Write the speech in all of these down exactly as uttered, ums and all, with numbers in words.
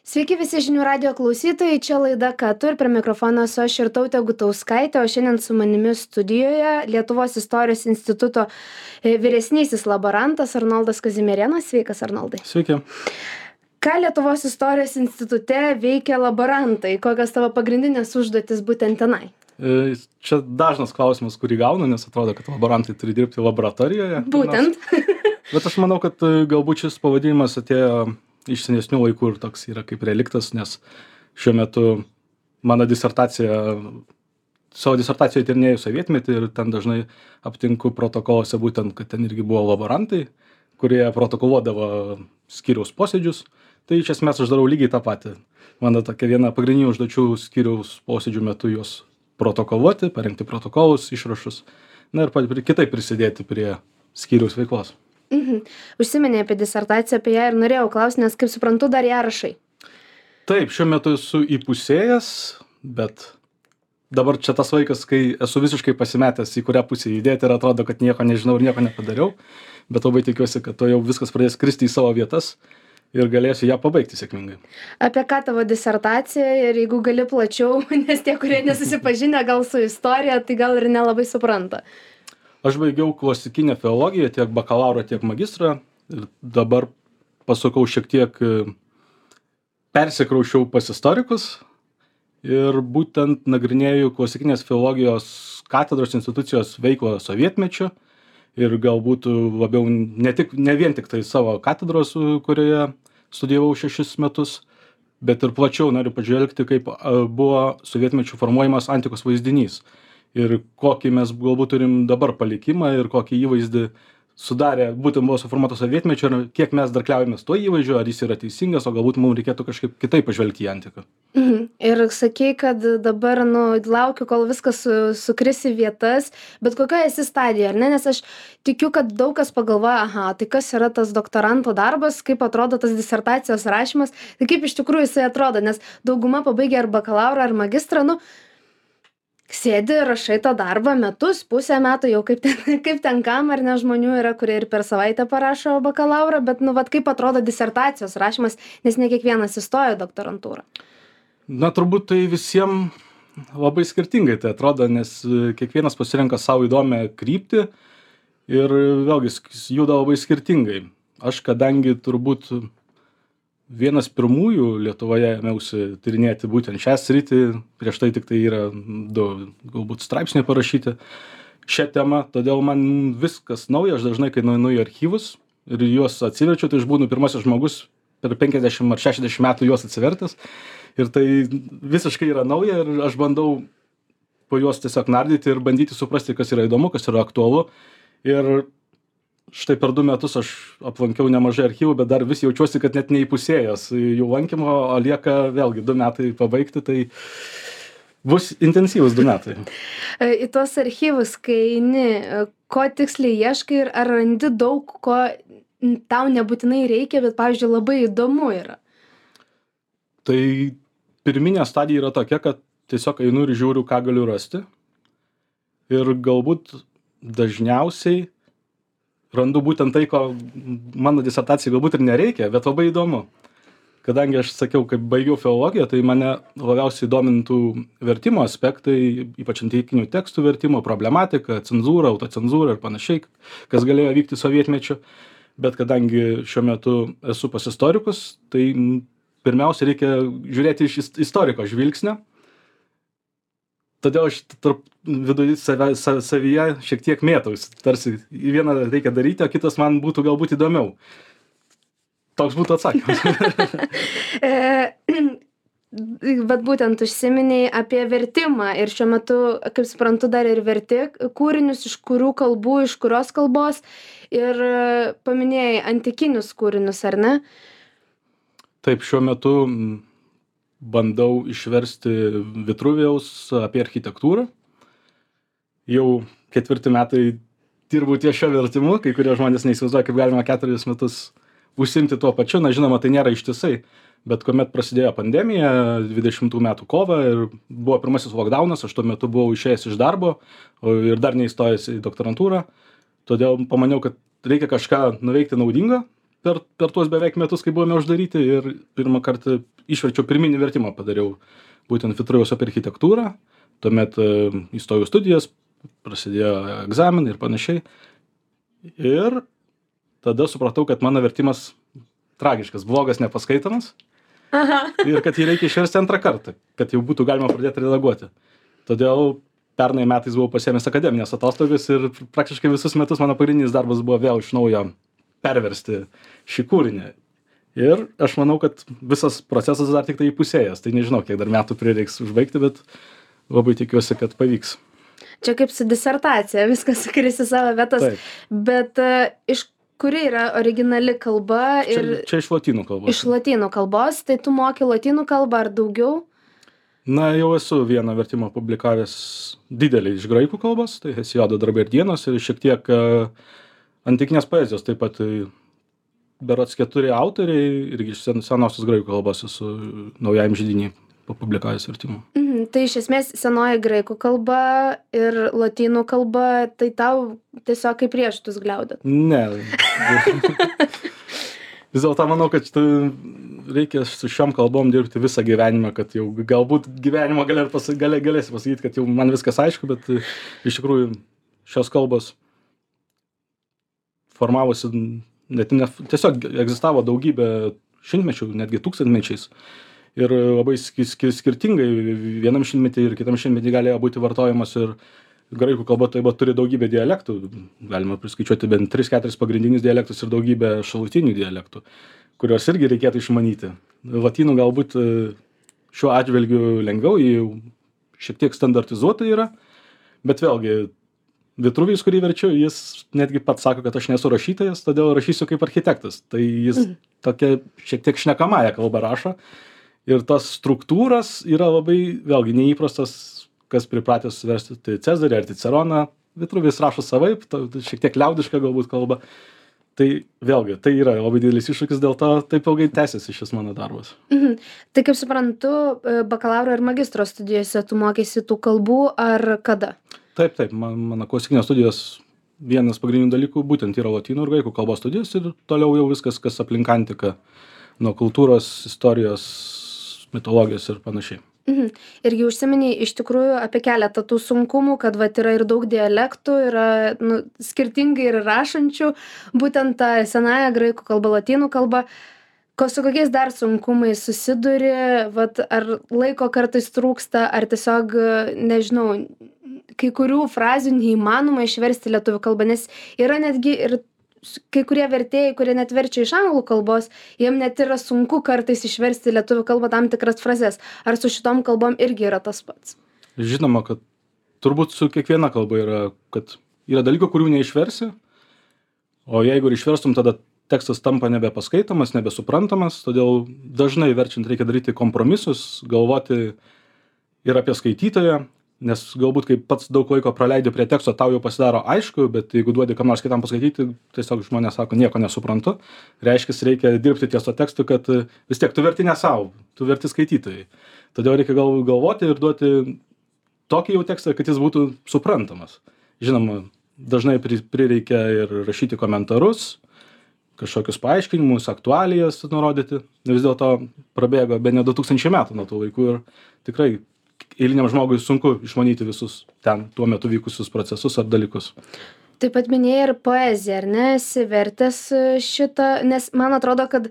Sveiki visi žinių radijo klausytojai, čia laida Ką tu ir prie mikrofono esu aš Irtautė Gutauskaitė, o šiandien su manimi studijoje Lietuvos istorijos instituto e, vyresnysis laborantas Arnoldas Kazimierėnas. Sveikas, Arnoldai. Sveiki. Ką Lietuvos istorijos institute veikia laborantai? Kokios tavo pagrindinės užduotis būtent tenai? E, Čia dažnas klausimas, kurį gaunu, nes atrodo, kad laborantai turi dirbti laboratorijoje. Būtent. Bet aš manau, kad e, galbūt šis pavadinimas atėjo iš senesnių laikų ir toks yra kaip reliktas, nes šiuo metu mano disertacija, savo disertacijoje tyrinėjau sovietmetį ir ten dažnai aptinku protokoluose būtent, kad ten irgi buvo laborantai, kurie protokoluodavo skyriaus posėdžius. Tai iš esmės aš darau lygiai tą patį. Mano tokia viena pagrindinių užduočių skyriaus posėdžių metu juos protokoluoti, parengti protokolus, išrašus, na ir pa- kitaip prisidėti prie skyriaus veiklos. Mhm. Užsiminė apie disertaciją, apie ją ir norėjau klausti, nes kaip suprantu, dar ją rašai. Taip, šiuo metu esu įpusėjęs, bet dabar čia tas laikas, kai esu visiškai pasimetęs, į kurią pusę judėti ir atrodo, kad nieko nežinau ir nieko nepadariau, bet labai tikiuosi, kad to jau viskas pradės kristi į savo vietas ir galėsiu ją pabaigti sėkmingai. Apie ką tavo disertacija ir jeigu gali plačiau, nes tie, kurie nesusipažinę gal su istorija, tai gal ir nelabai supranta. Aš baigiau klasikinę filologiją, tiek bakalauro, tiek magistrą ir dabar pasukau šiek tiek, e, persikraušiau pas istorikus ir būtent nagrinėju klasikinės filologijos katedros institucijos veiklą sovietmečiu ir galbūt labiau ne, tik, ne vien tik tai savo katedros, e, kurioje studijavau šešis metus, bet ir plačiau noriu pažvelgti, kaip e, buvo sovietmečiu formuojamas antikos vaizdinys. Ir kokį mes galbūt turim dabar palikimą ir kokį įvaizdį sudarė, būtent buvo suformuotas sovietmečio ir kiek mes dar kliaujamės tuo įvaizdžiu, ar jis yra teisingas, o galbūt mums reikėtų kažkaip kitaip pažvelgti į antiką. Mhm. Ir sakei, kad dabar, nu, laukiu, kol viskas su, sukris į vietas, bet kokioje esi stadijoje, ar ne? Nes aš tikiu, kad daug kas pagalvoja, aha, tai kas yra tas doktoranto darbas, kaip atrodo tas disertacijos rašymas, tai kaip iš tikrųjų jisai atrodo, nes dauguma pabaigia ar bakalaurą, ar magistrą, nu, sėdi, rašai tą darbą metus, pusę metų, jau kaip ten, kaip ten kam, ar ne, žmonių yra, kurie ir per savaitę parašo bakalaurą, bet, nu, vat kaip atrodo disertacijos rašymas, nes ne kiekvienas įstoja į doktorantūrą. Na, turbūt tai visiems labai skirtingai tai atrodo, nes e, kiekvienas pasirenka savo įdomią kryptį ir e, vėlgi sk- juda labai skirtingai. Aš kadangi turbūt vienas pirmųjų Lietuvoje ėmiausi tyrinėti būtent šią sritį, prieš tai tik tai yra du galbūt straipsniai parašyti šią temą, todėl man viskas nauja, aš dažnai, kai nueinu į archyvus ir juos atsiverčiu, tai aš būnu pirmasis žmogus per penkiasdešimt ar šešiasdešimt metų juos atsivertęs ir tai visiškai yra nauja ir aš bandau po juos tiesiog nardyti ir bandyti suprasti, kas yra įdomu, kas yra aktualu. Ir štai per du metus aš aplankiau nemažai archyvų, bet dar vis jaučiuosi, kad net neįpusėjęs jų lankymo, o lieka vėlgi du metai pabaigti, tai bus intensyvus du metai. E, Į tuos archyvus, kai eini, e, ko tiksliai ieškai ir ar randi daug, ko n- tau nebūtinai reikia, bet, pavyzdžiui, labai įdomu yra. Tai pirminė stadija yra tokia, kad tiesiog einu ir žiūriu, ką galiu rasti. Ir galbūt dažniausiai randu būtent tai, ko mano disertacijai galbūt ir nereikia, bet labai įdomu. Kadangi aš sakiau, kaip baigiau filologiją, tai mane labiausiai domintų vertimo aspektai, ypač antikinių tekstų vertimo, problematika, cenzūra, autocenzūra ir panašiai, kas galėjo vykti sovietmečiu. Bet kadangi šiuo metu esu pas istorikus, tai m, pirmiausia reikia žiūrėti iš is- istoriko žvilgsnio. Todėl aš tarp viduje save, sa- savyje šiek tiek mėtausi. Tarsi į vieną reikia daryti, o kitas man būtų galbūt įdomiau. Toks būtų atsakymas. E, Bet būtent užsiminiai apie vertimą ir šiuo metu, kaip suprantu, dar ir verti kūrinius, iš kurių kalbų, iš kurios kalbos ir e, paminėjai antikinius kūrinius, ar ne? Taip, šiuo metu mm, bandau išversti Vitruvijaus apie architektūrą. Jau ketvirti metai dirbu ties šio vertimu, kai kurie žmonės neįsivaizduoja, kaip galima keturis metus užsimti tuo pačiu. Na, žinoma, tai nėra ištisai, bet kuomet prasidėjo pandemija, dvidešimtų metų kovą ir buvo pirmasis lockdownas, aš tuo metu buvau išėjęs iš darbo o ir dar neįstojęs į doktorantūrą, todėl pamaniau, kad reikia kažką nuveikti naudingo per, per tuos beveik metus, kai buvome uždaryti ir pirmą kartą išverčiau pirminį vertimą padariau būtent Vitruvijaus apie architektūrą, tuomet įstojau studijas, prasidėjo egzaminai ir panašiai. Ir tada supratau, kad mano vertimas tragiškas, blogas, nepaskaitomas. Aha. Ir kad jį reikia išversti antrą kartą, kad jau būtų galima pradėti redaguoti. Todėl pernai metais buvau pasiėmęs akademinės atostogas ir praktiškai visus metus mano pagrindinis darbas buvo vėl iš naujo perversti šį kūrinį. Ir aš manau, kad visas procesas dar tik tai įpusėjęs. Tai nežinau, kiek dar metų prireiks užbaigti, bet labai tikiuosi, kad pavyks. Čia kaip su disertacija, viskas sukris į savo vietas. Taip. Bet uh, iš kuri yra originali kalba? Ir... Čia, čia iš lotynų kalbos. Iš lotynų kalbos, tai tu moki lotynų kalbą ar daugiau? Na, jau esu vieną vertimą publikavęs didelį iš graikų kalbos, tai Hesijodo darbai ir dienos, ir šiek tiek uh, antikinės poezijos, taip pat uh, berods keturi autoriai, irgi iš sen, senosios graikų kalbos esu naujajam židinį papublikavęs vertimų. Mhm, tai iš esmės senoji graikų kalba ir lotynų kalba, tai tau tiesiog kaip riešutus gliaudyt? Ne. Vis dėlto manau, kad reikia su šiom kalbom dirbti visą gyvenimą, kad jau galbūt gyvenimo galė, galė, galėsi pasakyti, kad jau man viskas aišku, bet iš tikrųjų šios kalbos formavosi, net ne, tiesiog egzistavo daugybę šimtmečių, netgi tūkstantmečiais. Ir labai skirtingai vienam šimtmetį ir kitam šimtmetį galėjo būti vartojamas ir graikų kalba taip pat turi daugybę dialektų, galima priskaičiuoti bent tris keturis pagrindinius dialektus ir daugybę šalutinių dialektų, kuriuos irgi reikėtų išmanyti. Lotynų galbūt šiuo atžvilgiu lengviau, jį šiek tiek standartizuota yra, bet vėlgi Vitruvijus, kurį verčiu, jis netgi pats sako, kad aš nesu rašytojas, todėl rašysiu kaip architektas. Tai jis mhm. tokia šiek tiek šnekamąją kalbą rašo. Ir tos struktūros yra labai, vėlgi, neįprastas, kas pripratęs versti tai Cezarį ar Ciceroną. Vitruvijus rašo savaip, šiek tiek liaudiška galbūt kalba. Tai vėlgi, tai yra labai didelis iššūkis, dėl to taip ilgai tęsiasi šis mano darbas. Mhm. Tai kaip suprantu, bakalauro ir magistro studijose tu mokėsi tų kalbų ar kada? Taip, taip, man, mano klasikinės studijos vienas pagrindinių dalykų būtent yra lotynų ir graikų kalbos studijos ir toliau jau viskas, kas aplink antiką, nuo kultūros, istorijos, mitologijos ir panašiai. Mhm. Irgi užsiminiai iš tikrųjų apie keletą tų sunkumų, kad vat yra ir daug dialektų, yra nu, skirtingai ir rašančių, būtent tą senąją graikų kalbą, lotynų kalbą. Ko su kokiais dar sunkumais susiduri, vat, ar laiko kartais trūksta, ar tiesiog, nežinau, kai kurių frazių neįmanoma išversti lietuvių kalbą, nes yra netgi ir kai kurie vertėjai, kurie net verčia iš anglų kalbos, jiem net yra sunku kartais išversti lietuvių kalbą tam tikras frazes. Ar su šitom kalbom irgi yra tas pats? Žinoma, kad turbūt su kiekviena kalba yra, kad yra dalykų, kurių neišversi, o jeigu ir išverstum, tada tekstas tampa nebepaskaitomas, nebesuprantamas, todėl dažnai verčiant reikia daryti kompromisus, galvoti ir apie skaitytoją, nes galbūt kai pats daug laiko praleidi prie teksto, tau jau pasidaro aišku, bet jeigu duodi kam nors kitam paskaityti, tiesiog žmonės sako, nieko nesuprantu, reiškia, reikia dirbti ties to tekstu, kad vis tiek tu verti ne savo, tu verti skaitytojai. Todėl reikia gal, galvoti ir duoti tokį jau tekstą, kad jis būtų suprantamas. Žinoma, dažnai prireikia ir rašyti komentarus, kažkokius paaiškinimus, aktualijas nurodyti. Vis dėlto prabėgo bene du tūkstančiai metų nuo tų laikų ir tikrai eiliniam žmogui sunku išmanyti visus ten tuo metu vykusius procesus ar dalykus. Taip pat minėjai ir poeziją, ar ne? Esi vertęs šitą, nes man atrodo, kad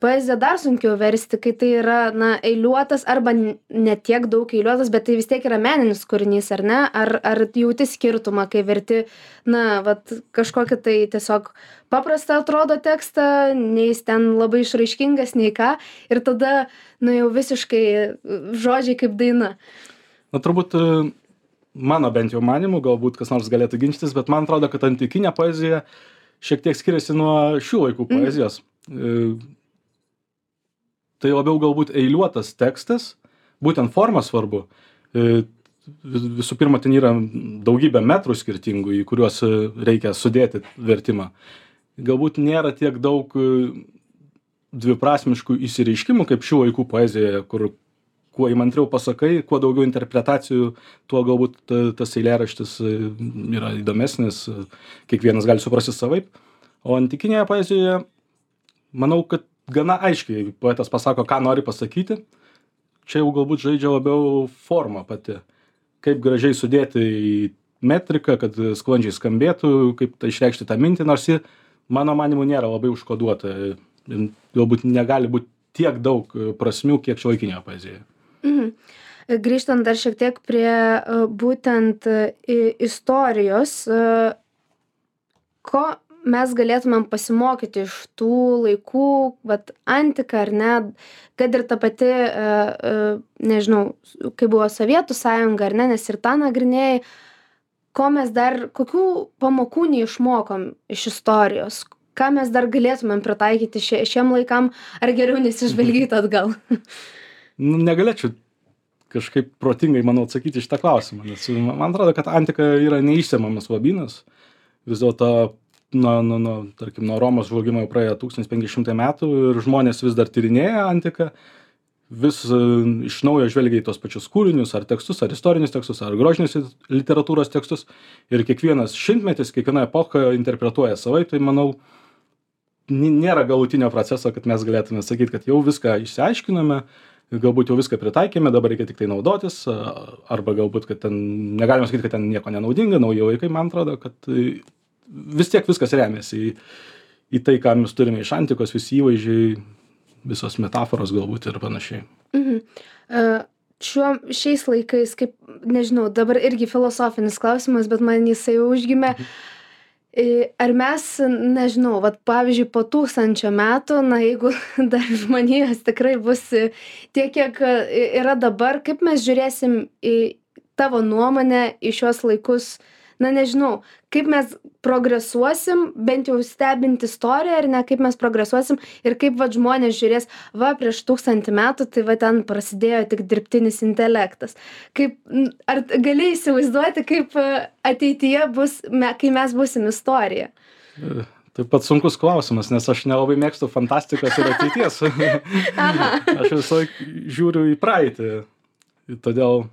poeziją dar sunkiau versti, kai tai yra, na, eiliuotas arba ne tiek daug eiliuotas, bet tai vis tiek yra meninis kūrinys, ar ne? Ar, ar jauti skirtumą, kai verti, na, vat, kažkokį tai tiesiog paprastą atrodo tekstą, nei jis ten labai išraiškingas, nei ką, ir tada, nu, jau visiškai žodžiai kaip daina. Na, turbūt mano bent jau manimu, galbūt kas nors galėtų ginčytis, bet man atrodo, kad antikinė poezija šiek tiek skiriasi nuo šių laikų poezijos. Mm. Tai labiau galbūt eiliuotas tekstas, būtent forma svarbu. Visų pirma, ten yra daugybė metrų skirtingų, į kuriuos reikia sudėti vertimą. Galbūt nėra tiek daug dviprasmiškų įsireiškimų, kaip šių laikų poezijoje, kur kuo įmantriau pasakai, kuo daugiau interpretacijų, tuo galbūt tas eilėraštis yra įdomesnis, kiekvienas gali suprasti savaip. O antikinėje poezijoje manau, kad gana aiškiai poetas pasako, ką nori pasakyti. Čia jau galbūt žaidžia labiau forma pati. Kaip gražiai sudėti į metriką, kad sklandžiai skambėtų, kaip tai išreikšti tą mintį, nors ji, mano manimu, nėra labai užkoduota. Galbūt negali būti tiek daug prasmių, kiek šiuolaikinėje poezijoje. Mhm. Grįžtant dar šiek tiek prie uh, būtent uh, istorijos, uh, ko mes galėtumėm pasimokyti iš tų laikų, vat antika ar ne, kad ir ta pati, uh, uh, nežinau, kai buvo Sovietų sąjunga ar ne, nes ir tą nagrinėjai, ko mes dar, kokių pamokų neišmokom iš istorijos, ką mes dar galėtumėm pritaikyti šie, šiem laikam, ar geriau nesižvalgyti atgal? Nu, negalėčiau kažkaip protingai, manau, atsakyti šitą klausimą, nes man atrodo, kad antika yra neišsemiamas lobynas. Vis dėlto, nuo, nuo, nuo, tarkim, nuo Romos žlugimo jau praėjo tūkstantis penki šimtai metų ir žmonės vis dar tyrinėja antiką, vis iš naujo žvelgia į tos pačius kūrinius, ar tekstus, ar istorinius tekstus, ar grožinės literatūros tekstus. Ir kiekvienas šimtmetis, kiekviena epocha interpretuoja savaip, tai manau, nėra galutinio proceso, kad mes galėtume sakyti, kad jau viską išsiaiškiname, galbūt jau viską pritaikėme, dabar reikia tik tai naudotis, arba galbūt, kad ten, negalima sakyti, kad ten nieko nenaudinga, nauji laikai, man atrodo, kad vis tiek viskas remiasi į, į tai, ką mes turime iš antikos, visi įvaizdžiai, visos metaforos galbūt ir panašiai. Mhm. Uh, šiuo, šiais laikais, kaip, nežinau, dabar irgi filosofinis klausimas, bet man jisai užgimė. Mhm. Ar mes, nežinau, vat, pavyzdžiui, po tūkstančio metų, na, jeigu dar žmonijos tikrai bus tiek, kiek yra dabar, kaip mes žiūrėsim į tavo nuomonę į šios laikus, na, nežinau, kaip mes progresuosim, bent jau stebint istoriją, ar ne, kaip mes progresuosim ir kaip, va, žmonės žiūrės, va, prieš tūkstantį metų, tai, va, ten prasidėjo tik dirbtinis intelektas. Kaip, ar gali įsivaizduoti, kaip ateityje bus, me, kai mes būsim istorija? Taip pat sunkus klausimas, nes aš nelabai mėgstu fantastikos ir ateities. Aš visą laiką žiūriu į praeitį, todėl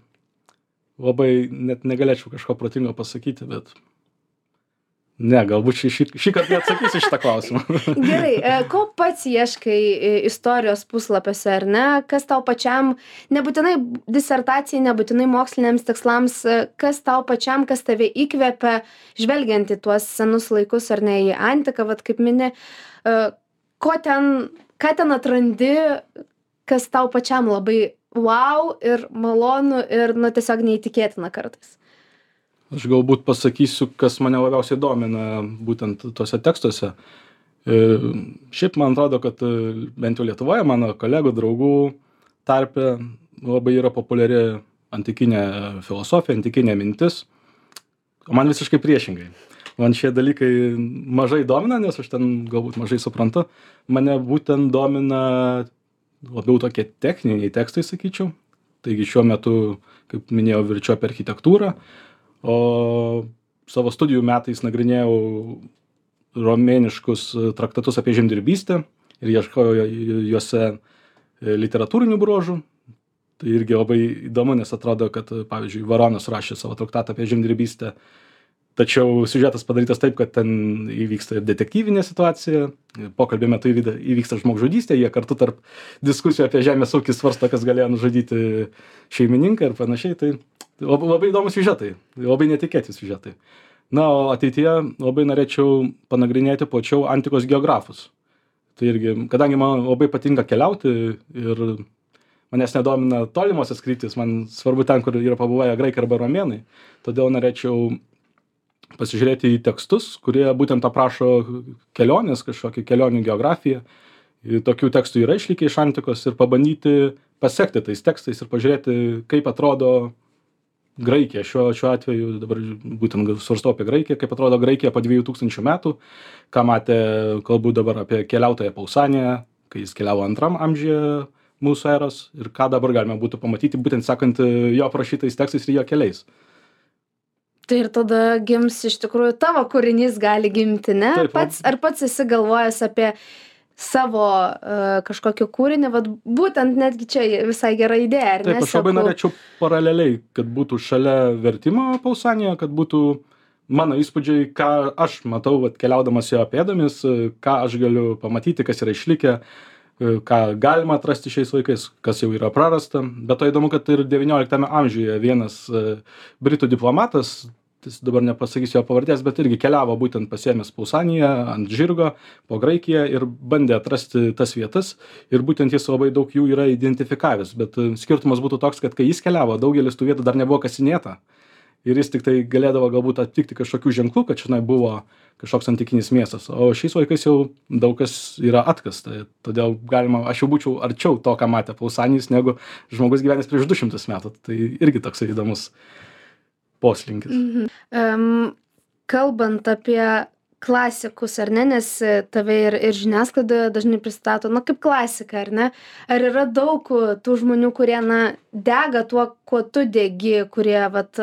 labai net negalėčiau kažko protingo pasakyti, bet ne, galbūt šį, šį, šį kartą neatsakysiu šitą klausimą. Gerai, ko pats ieškai istorijos puslapiuose, ar ne? Kas tau pačiam, nebūtinai disertacijai, nebūtinai moksliniams tikslams, kas tau pačiam, kas tave įkvepia, žvelgiant į tuos senus laikus, ar ne, į antiką, vat kaip mini, ko ten, ką ten atrandi, kas tau pačiam labai wow ir malonu ir, nu, tiesiog neįtikėtina kartais. Aš galbūt pasakysiu, kas mane labiausiai domina būtent tuose tekstuose. Šiaip man atrodo, kad bent jau Lietuvoje mano kolegų, draugų tarpe labai yra populiari antikinė filosofija, antikinė mintis. O man visiškai priešingai. Man šie dalykai mažai domina, nes aš ten galbūt mažai suprantu. Mane būtent domina labiau tokie techniniai tekstai, sakyčiau. Taigi šiuo metu, kaip minėjau, verčiu apie architektūrą. O savo studijų metais nagrinėjau romėniškus traktatus apie žemdirbystę ir ieškojau juose literatūrinių bruožų. Tai irgi labai įdomu, nes atrodo, kad, pavyzdžiui, Varonas rašė savo traktatą apie žemdirbystę, tačiau siužetas padarytas taip, kad ten įvyksta ir detektyvinė situacija, pokalbio metu įvyksta žmogžudystė, jie kartu tarp diskusijų apie žemės ūkį svarsto, kas galėjo nužudyti šeimininką ir panašiai. Tai labai, labai įdomus siužetai, labai netikėti siužetai. Na, o ateityje labai norėčiau panagrinėti plačiau antikos geografus. Tai irgi, kadangi man labai patinka keliauti ir manęs nedomina tolimosios kryptys, man svarbu ten, kur yra pabuvę graikai arba romėnai, todėl norėčiau pasižiūrėti į tekstus, kurie būtent aprašo kelionės, kažkokį kelionių geografiją. Tokių tekstų yra išlikę iš antikos ir pabandyti pasekti tais tekstais ir pažiūrėti, kaip atrodo Graikija. Šiuo, šiuo atveju dabar būtent svarstau apie Graikiją, kaip atrodo Graikija po dviejų tūkstančių metų, ką matė, kalbu dabar apie keliautoją Pausaniją, kai jis keliavo antram amžiuje mūsų eros ir ką dabar galime būtų pamatyti, būtent sekant jo aprašytais tekstais ir jo keliais. Tai ir tada gims iš tikrųjų tavo kūrinys gali gimti, ne? Taip, pats, ar pats esi galvojęs apie savo uh, kažkokį kūrinį, vat būtent netgi čia visai gera idėja, ar ne? Taip, aš labai norėčiau paraleliai, kad būtų šalia vertimo Pausanijoje, kad būtų mano įspūdžiai, ką aš matau, vat, keliaudamas jo pėdomis, ką aš galiu pamatyti, kas yra išlikę, ką galima atrasti šiais laikais, kas jau yra prarasta. Bet to įdomu, kad ir devynioliktame amžiuje vienas britų diplomatas, dabar nepasakysiu jo pavardės, bet irgi keliavo būtent pasiėmęs Pausaniją ant žirgo po Graikiją ir bandė atrasti tas vietas ir būtent jis labai daug jų yra identifikavęs. Bet skirtumas būtų toks, kad kai jis keliavo, daugelis tų vietų dar nebuvo kasinėta ir jis tik tai galėdavo galbūt aptikti kažkokių ženklų, kad čionai buvo kažkoks antikinis miestas. O šiais laikais jau daug kas yra atkasta. Todėl galima, aš jau būčiau arčiau to, ką matė Pausanijus, negu žmogus gyvenęs prieš du šimtus metų. Tai irgi toks įdomus poslinkis. Mhm. Um, kalbant apie klasikus, ar ne, nes tave ir, ir žiniasklaidoje dažnai pristato, na, kaip klasika, ar ne? Ar yra daug tų žmonių, kurie, na, dega tuo, kuo tu degi, kurie, vat,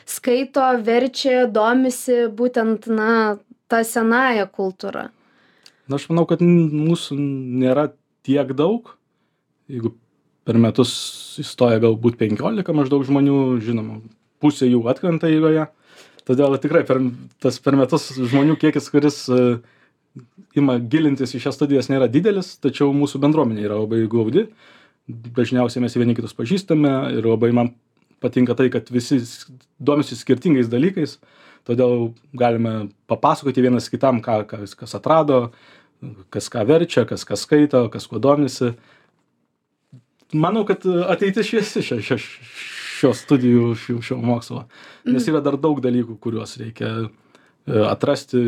skaito, verčia, domisi būtent, na, tą senąją kultūrą? Na, aš manau, kad mūsų nėra tiek daug. Jeigu per metus įstoja galbūt penkiolika maždaug žmonių, žinoma, pusė jų atkrenta eigoje. Todėl tikrai per, tas per metus žmonių kiekis, kuris uh, ima gilintis į šias studijas, nėra didelis, tačiau mūsų bendruomenė yra labai glaudi. Dažniausiai mes vieni kitus pažįstame ir labai man patinka tai, kad visi domisi skirtingais dalykais. Todėl galime papasakoti vienas kitam, ką, kas, kas atrado, kas ką verčia, kas ką skaito, kas kuo domisi. Manau, kad ateitis šviesi šio, šio, šios studijų, šio, šio mokslo. Nes yra dar daug dalykų, kuriuos reikia atrasti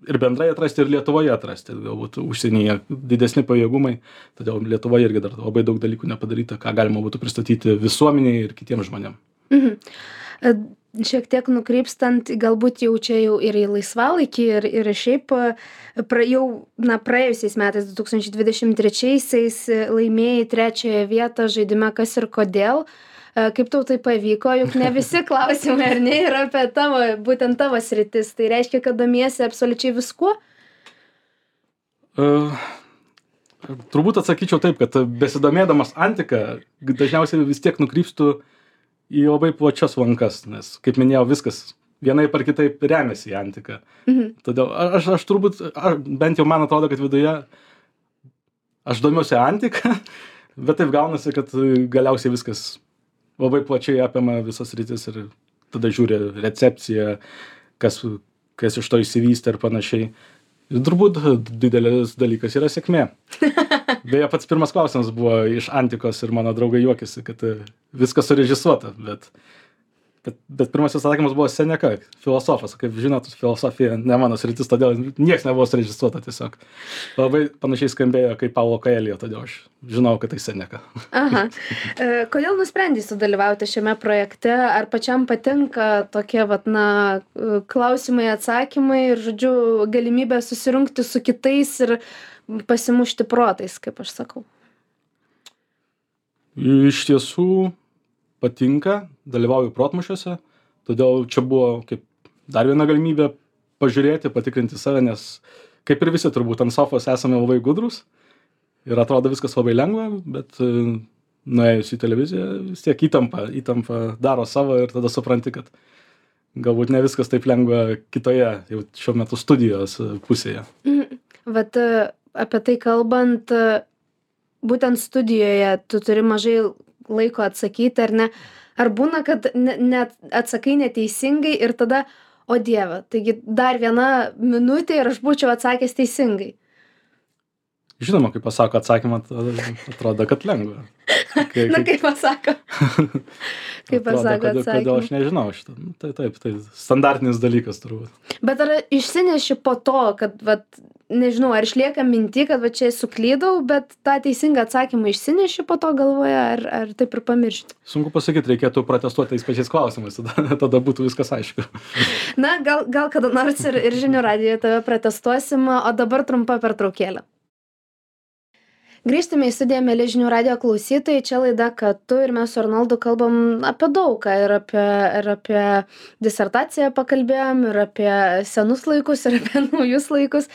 ir bendrai atrasti, ir Lietuvoje atrasti. Galbūt užsienyje didesni pajėgumai, todėl Lietuvoje irgi dar labai daug dalykų nepadaryta, ką galima būtų pristatyti visuomeniai ir kitiems žmonėms. Mhm. Šiek tiek nukrypstant, galbūt jau čia jau ir į laisvalaikį, ir, ir šiaip pra, jau na, praėjusiais metais, du tūkstančiai dvidešimt trečiaisiais, laimėjai trečiąją vietą žaidime Kas ir kodėl. Kaip tau tai pavyko, juk ne visi klausimai, ar ne, yra apie tavo, būtent tavo sritis. Tai reiškia, kad domiesi absoliučiai viskuo? Uh, turbūt atsakyčiau taip, kad besidomėdamas antiką, dažniausiai vis tiek nukrypstu į labai plačias lankas, nes, kaip minėjau, viskas vienaip ar kitaip remiasi į antiką. Mhm. Todėl aš, aš turbūt, aš, bent jau man atrodo, kad viduje aš domiuosi antiką, bet taip gaunasi, kad galiausiai viskas labai plačiai apima visas rytis ir tada žiūri recepciją, kas, kas iš to išsivystė ir panašiai. Ir turbūt didelis dalykas yra sėkmė. Beje, pats pirmas klausimas buvo iš antikos ir mano draugai juokėsi, kad viskas surežisuota, bet, bet, bet pirmasis atsakymas buvo Seneka, filosofas. Kaip žinot, filosofija ne mano sritis, todėl nieks nebuvo surežisuota tiesiog. Labai panašiai skambėjo kaip Paulo Coelho, todėl aš žinau, kad tai Seneka. Aha. Kodėl nusprendei sudalyvauti šiame projekte? Ar pačiam patinka tokie, vat, na, klausimai, atsakymai ir, žodžiu, galimybė susirungti su kitais ir pasimušti protais, kaip aš sakau? Iš tiesų patinka, dalyvauju protmūšiuose, todėl čia buvo kaip dar viena galimybė pažiūrėti, patikrinti save, nes kaip ir visi turbūt ant sofos esame labai gudrus ir atrodo viskas labai lengva, bet nuėjus į televiziją vis tiek įtampa, įtampa daro savo ir tada supranti, kad galbūt ne viskas taip lengva kitoje jau šiuo metu studijos pusėje. Vat apie tai kalbant, būtent studijoje tu turi mažai laiko atsakyti, ar ne? Ar būna, kad net atsakai neteisingai ir tada, o Dieve, taigi dar viena minutė ir aš būčiau atsakęs teisingai? Žinoma, kai pasako atsakymą, atrodo, kad lengva. Kai, Na, kaip pasako. Kaip pasako atsakymą. Kodėl aš nežinau šitą. Tai taip, tai standartinis dalykas turbūt. Bet ar išsineši po to, kad, vat, nežinau, ar išlieka minti, kad va čia suklydau, bet tą teisingą atsakymą išsineši po to galvoje, ar, ar taip ir pamiršti? Sunku pasakyti, reikėtų protestuoti tais pačiais klausimais, tada, tada būtų viskas aišku. Na, gal, gal kada nors ir, ir žinių radijoje tave protestuosim, o dabar trumpa pertraukėlė. Grįžtame į studiją, mieli žinių radijo klausytojai, čia laida Ką tu, ir mes su Arnoldu kalbam apie daugą, ir apie, ir apie disertaciją pakalbėjom, ir apie senus laikus, ir apie naujus laikus,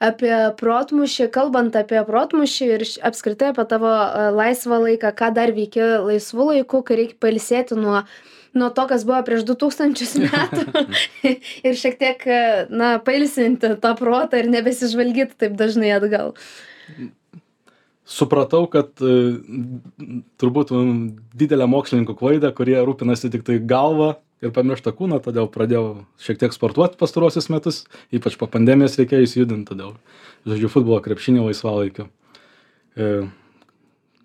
apie protmūšį. Kalbant apie protmūšį ir apskritai apie tavo laisvą laiką, ką dar veiki laisvu laiku, kai reikia pailsėti nuo nuo to, kas buvo prieš du tūkstančius metų ir šiek tiek, na, pailsinti tą protą ir nebesižvalgyti taip dažnai atgal. Supratau, kad turbūt didelę mokslininkų klaidą, kurie rūpinasi tik tai galvą ir pamiršta kūną, todėl pradėjau šiek tiek sportuoti pastaruosius metus, ypač po pandemijos reikėjo įsijudinti, todėl žaidžiu futbolą, krepšinį laisvalaikiu.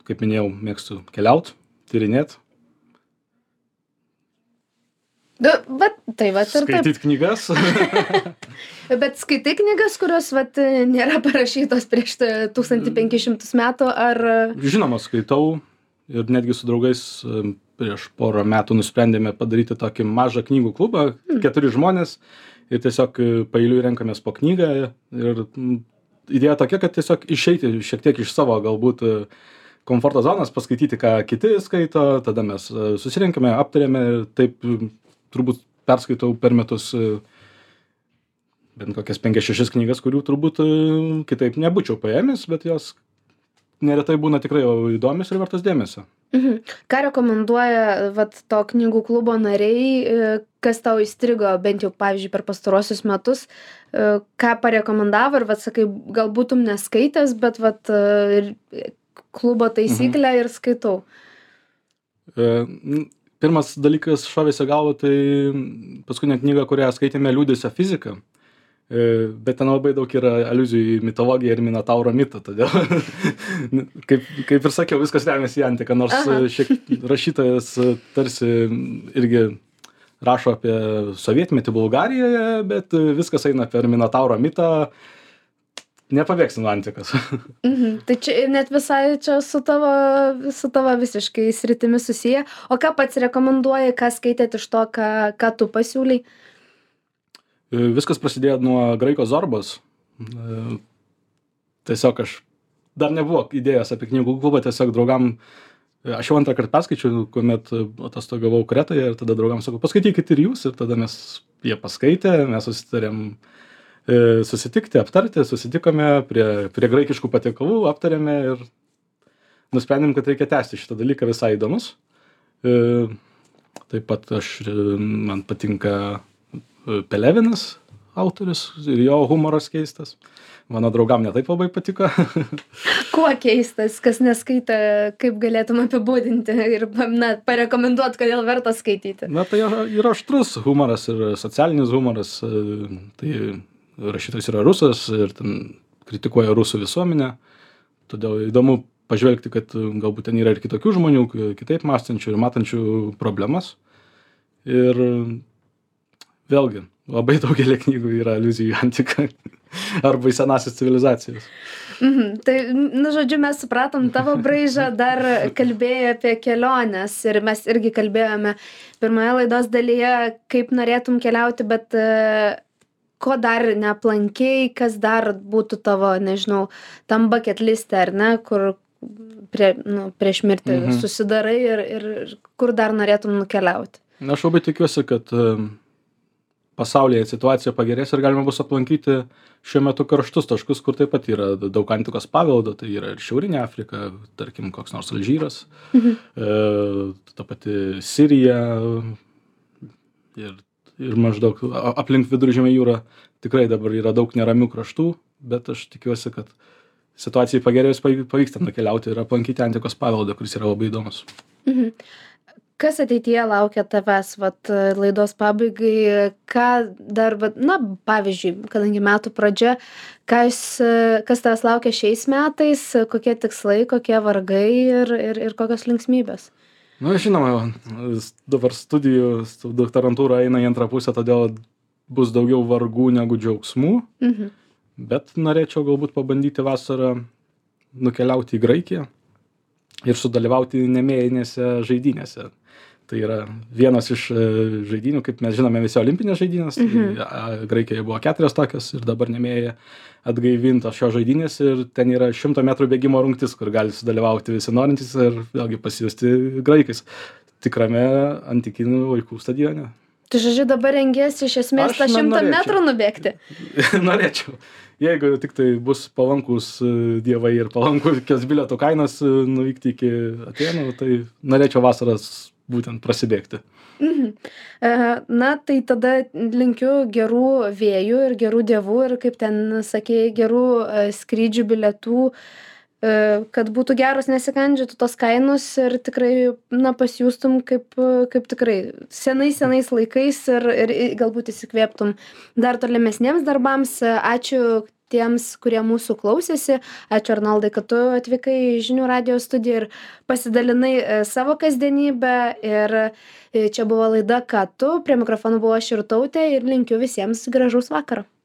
Kaip minėjau, mėgstu keliauti, tyrinėti. Bet tai vat ir taip. Skaityt knygas. Bet skaitai knygas, kurios vat nėra parašytos prieš tūkstantį penkis šimtus metų, ar... Žinoma, skaitau ir netgi su draugais prieš porą metų nusprendėme padaryti tokį mažą knygų klubą, hmm. keturi žmonės, ir tiesiog paeiliui renkamės po knygą. Ir idėja tokia, kad tiesiog išeiti šiek tiek iš savo galbūt komforto zonas, paskaityti, ką kiti skaito, tada mes susirenkame, aptarėme ir taip turbūt perskaitau per metus bent kokias penkias šešias knygas, kurių turbūt kitaip nebūčiau paėmęs, bet jos neretai būna tikrai įdomios ir vertos dėmesio. Mhm. Ką rekomenduoja vat, to knygų klubo nariai, kas tau įstrigo, bent jau, pavyzdžiui, per pastaruosius metus, ką parekomendavo ir, vat, sakai, gal būtum neskaitęs, bet vat, klubo taisyklę mhm. ir skaitau. E, Pirmas dalykas šovėsi galvo, tai paskutinė knyga, kurią skaitėme, Liūdesio fizika, bet ten labai daug yra aliuzijų į mitologiją ir Minotauro mitą, todėl, kaip, kaip ir sakiau, viskas remiasi į antiką, nors Aha. šiek rašytojas tarsi irgi rašo apie sovietmetį Bulgarijoje, bet viskas eina per Minotauro mitą. Nepabėgsi nuo antikos. Mhm. Tai čia net visai čia su tavo, su tavo visiškai sritimi susiję. O ką pats rekomenduoji, ką skaitėt iš to, ką, ką tu pasiūlai? Viskas prasidėjo nuo Graiko Zorbos. Tiesiog aš dar nebuvo idėjos apie knygų klubą, tiesiog draugam, aš jau antrą kartą perskaičiau, kuomet atostogavau Kretoje ir tada draugam sakau, paskaitykit ir jūs, ir tada mes jie paskaitė, mes susitarėm susitikti, aptarti, susitikome prie, prie graikiškų patiekalų, aptarėme ir nusprendėm, kad reikia tęsti šitą dalyką, visai įdomus. Taip pat aš, man patinka Pelevinas autorius ir jo humoras keistas. Mano draugam netaip labai patiko. Kuo keistas, kas neskaitė, kaip galėtum apibūdinti ir na, parekomenduot, kodėl verta skaityti? Na, tai yra aštrus humoras ir socialinis humoras. Tai rašytojas yra rusas ir ten kritikuoja rusų visuomenę. Todėl įdomu pažvelgti, kad galbūt ten yra ir kitokių žmonių, kitaip mąstančių ir matančių problemas. Ir vėlgi, labai daugelį knygų yra aliuzijų į antiką arba į senąsias civilizacijas. Mhm. Tai, nu, žodžiu, mes supratom tavo braižą, dar kalbėjai apie keliones ir mes irgi kalbėjome pirmoje laidos dalyje, kaip norėtum keliauti, bet ko dar neaplankei, kas dar būtų tavo, nežinau, tam bucket liste, ar ne, kur prie, nu, prieš mirtį mhm. susidarai ir, ir kur dar norėtum nukeliauti? Aš labai tikiuosi, kad pasaulyje situacija pagerės ir galima bus aplankyti šiuo metu karštus taškus, kur taip pat yra daug antikos paveldo, tai yra ir Šiaurinė Afrika, tarkim, koks nors Alžyras, mhm. e, ta pati Sirija ir, ir maždaug aplink Viduržemio jūrą tikrai dabar yra daug neramių kraštų, bet aš tikiuosi, kad situacijai pagerėjus pavyks ten nukeliauti ir aplankyti antikos paveldą, kuris yra labai įdomus. Mhm. Kas ateityje laukia tavęs, vat, laidos pabaigai, ką dar, vat, na, pavyzdžiui, kadangi metų pradžia, kas, kas tavęs laukia šiais metais, kokie tikslai, kokie vargai ir, ir, ir kokios linksmybės? Na, žinoma, dabar studijų, doktorantūra eina į antrą pusę, todėl bus daugiau vargų negu džiaugsmų, mhm. bet norėčiau galbūt pabandyti vasarą nukeliauti į Graikiją ir sudalyvauti nemėjinėse žaidynėse. Tai yra vienas iš žaidynių, kaip mes žinome, visi olimpinės žaidynės, mhm. tai Graikijoje buvo keturios tokios ir dabar nemėja atgaivintos šios žaidynės ir ten yra šimto metrų bėgimo rungtis, kur gali sudalyvauti visi norintys ir vėlgi pasijusti graikais tikrame antikinių laikų stadione. Tai žodžiu, dabar rengiesi iš esmės tą šimtą metrų nubėgti? Norėčiau. Jeigu tik tai bus palankus dievai ir palankus bilietų kainos nuvykti iki Atėnų, tai norėčiau vasaras būtent prasibėgti. Mhm. E, Na, tai tada linkiu gerų vėjų ir gerų dievų ir, kaip ten sakėjai, gerų e, skrydžių bilietų, e, kad būtų geros, nesikandžiotų tos kainos ir tikrai, na, pasijustum kaip, e, kaip tikrai senais, senais laikais ir, ir i- galbūt įsikvėptum dar tolimesniems darbams. E, Ačiū tiems, kurie mūsų klausėsi. Ačiū, Arnoldai, kad tu atvykai į Žinių radijo studiją ir pasidalinai e, savo kasdienybę. Ir e, čia buvo laida Ką tu, prie mikrofono buvo aš Irtautė ir linkiu visiems gražaus vakaro.